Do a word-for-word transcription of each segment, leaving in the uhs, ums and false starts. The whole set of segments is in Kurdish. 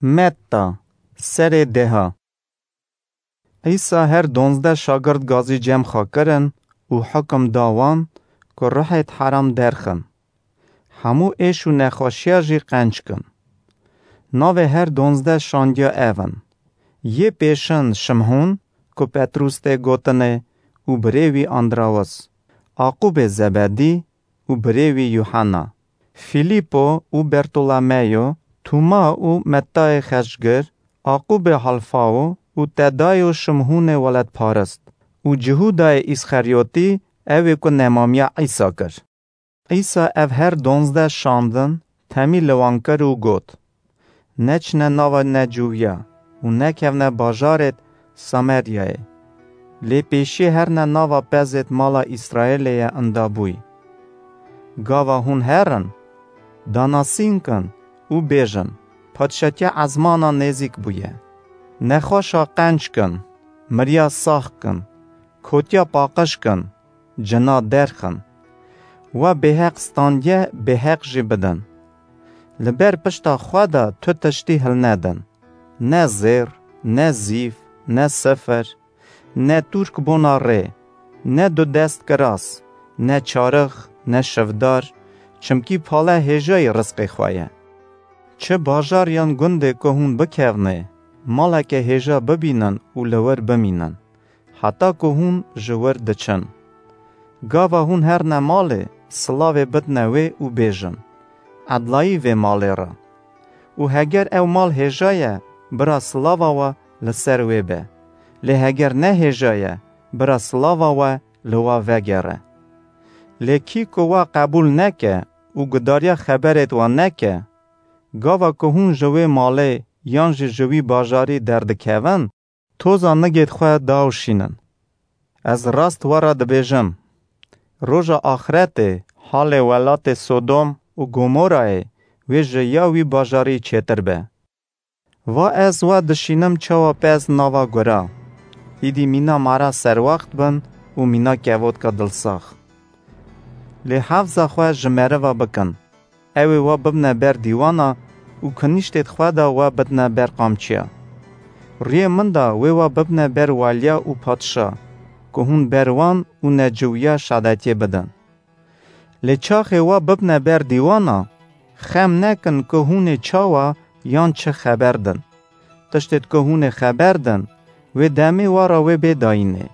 Metta, serê deha. Îsa her donzdeh şagirt gazî cem xwe kirin û hukum da wan ku ruhêt heram derxin. Hemû êş û nexweşiya jî qenc kin. Navê her donzdeh şandiya ev in: yê pêşin Şimhûn, ku Petrûs tê gotinê, û birê wî Andrawis, Aqûbê Zebedî û birê wî Yuhanna, Fîlîpo û Bertolomeyo, Tûma û Mettayê Xeşgir, Aqûbê Halfawo û Tedayo Şimhûnê Weledparist, û Cihûdayê Îsxeryotî, ew ê ku nemamiya Îsa kir. Îsa ev her donzdeh şandin temî li wan kir û got, Neçine nava neciwiya û nekevne bajarêt Sameryayê. Lê pêşiyê herine nava pezêt mala Îsraêlê ye indabûyî. Gava hûn herin, danasîn kin û bêjin, Padşatiya ezmana nêzîk bûye. Nexweşa qenc kin, miriya sax kin, kotiya paqij kin, cina derxin. We bêheq standiye, bêheq jî bidin. Li ber pişta xwe de tu tiştî hilnedin. Ne zêr, ne zîv, ne sifir, ne tûrk bona rê, ne du dest kiras, ne çarix, ne şivdar, çimkî pale hêjayî rizqê xwe ye. Çi bajar yan gundê ku hûn bikevnê, maleke hêja bibînin û li wir bimînin, heta ku hûn ji wir diçin. Gava hûn herine malê, silavê bidine wê û bêjin, Edlayî vê malê re. Û heger ew mal hêja ye, bira silava we li ser wê be. Lê heger ne hêja ye, bira silava we li we vegere. Lê kî ku we qebûl neke û gudariya xeberêt we neke, gava ku hûn ji wê malê yan jî ji wî bajarî derdikevin, toza nigêt xwe daûşînin. Ez rast we re dibêjim, roja axretê halê welatê Sodom û Gomorayê wê ji ya wî bajarî çêtir be. Va ez we dişînim çawa pez nava gura. Îdî mîna mara serwext bin û mîna kevotka dilsax. Lê hefza xwe ji meriva bikin. Ew ê we bibne ber dîwana û kinîştêt xwe de we bidne ber qamçiya. Rûyê min de wê we bibne ber waliya û padşa, ku hûn ber wan û neciwiya şadetiyê bidin. Lê çaxê we bibne ber dîwana, xem nekin ku hûn ê çawa yan çi xeber din. Tiştêt ku hûn ê xeber din, wê demê we re wê bê dayînê.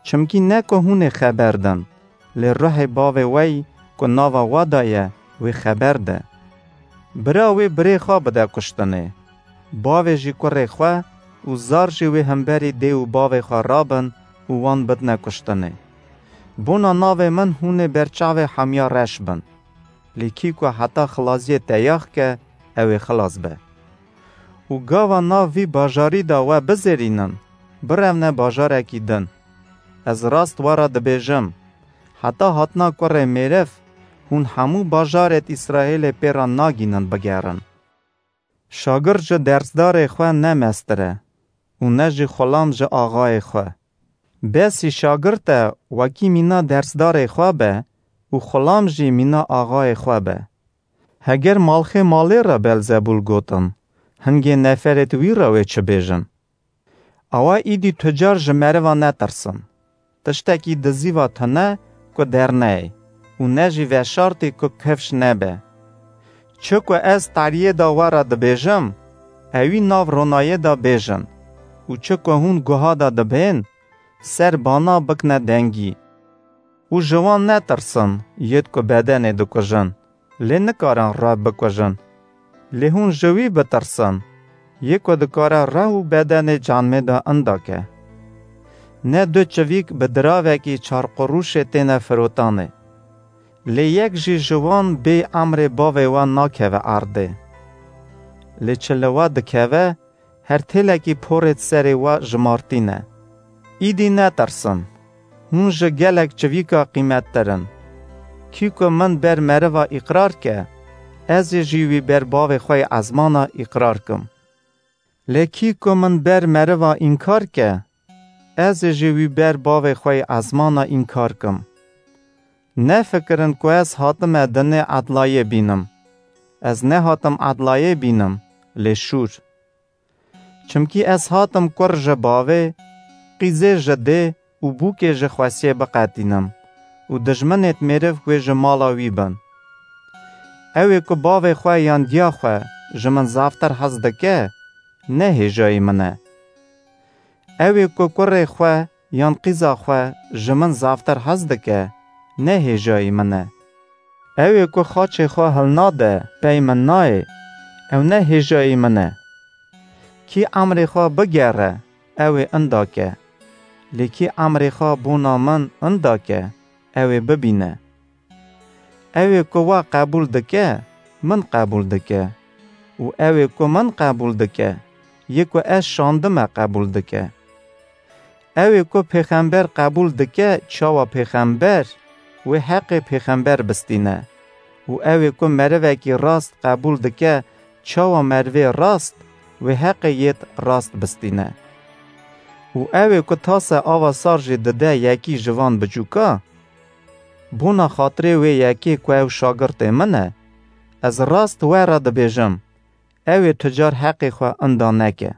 Çimkî ne ku hûn ê xeber din, lê ruhê bavê we yî ku nava we de ye, wê xeber de. Bira wê birê xwe bide kuştinê. Bavê jî kurê xwe û zar jî wê hemberî dê û bavê xwe rabin û wan bidine kuştinê. Bona navê min hûn ê ber çavê hemiya reş bin. Lê kî ku heta xilaziyê teyax ke, ew ê xilas be. Û gava nav vî bajarî de we bizêrînin, birevne bajarekî din. Ez rast we re dibêjim, heta hatina Kurê Mêriv, hûn hemû bajarêt Îsraêlê pê re nagînin bigerin. Şagird ji dersdarê xwe ne mestir e û ne jî xulam ji axayê xwe. Besî şagirt e wekî mîna dersdarê xwe be û xulam jî mîna axayê xwe be. Heger malxê malê re Belzebûl gotin, hingê neferêt wî re wê çi bêjin? Awa îdî tu car ji meriva netirsin. Tiştekî dizîva tune ku derneyê û ne jî veşartî ku kifş nebe. Çi ku ez tariyê de we re dibêjim, ewî nav ronayê de bêjin û çi ku hûn guha de dibên, ser bana bikne dengî. Û ji wan netirsin, yêt ku bedenê dikujin, lê nikarin rev bikujin. Lê hûn ji wî bitirsin, yê ku dikare rev û bedenê canmê de inda ke. Ne du çivîk bi diravekî çar qurûşê têne firotanê. Lê yek jî ji wan bê emrê bavê we nakeve erdê. Lê çi li we dikeve, her têlekî porê di serê we jimartî ne. Îdî netirsin, hûn ji gelek çivîka qîmettir in. Kî ku min ber meriva îqrar ke, ez ê jî wî ber bavê xwe yê ezmana îqrar kim. Lê kî ku min ber meriva înkar ke, ez ê jî wî ber bavê xwe yê ezmana înkar kim. Nefikirin ku ez hatime dinê edlayê bînim. Ez nehatim edlayê bînim, lê şûr. Çimkî ez hatim kur ji bavê, qîzê ji dê û bûkê ji xwesiyê biqetînim û dijminêt mêriv wê ji mala wî bin. Ew ê ku bavê xwe yan diya xwe ji min zaftir hez dike, ne hêjayî min e. Ew ê ku kurê xwe yan qîza xwe ji min zaftir hez dike, ne hêjayî min e. Ew ê ku xaçê xwe hilnade, pey min nayê, ew ne hêjayî min e. Kî emrê xwe bigere, ew ê inda ke. Lê kî emrê xwe bona min inda ke, ew ê bibîne. Ew ê ku we qebûl dike, min qebûl dike. Û ew ê ku min qebûl dike, yê ku ez şandime qebûl dike. Ew ê ku pêxember qebûl dike, çawa pêxember, wê heqê pêxember bistîne. Û ew ê ku merivekî rast qebûl dike, çawa merivê rast, wê heqê yêt rast bistîne. Û ew ê ku tase ava sar jî dide yekî ji van biçûka, bona xatirê wê yekê ku ew şagirtê min e, ez rast we re dibêjim, ew ê tu car heqê xwe inda neke.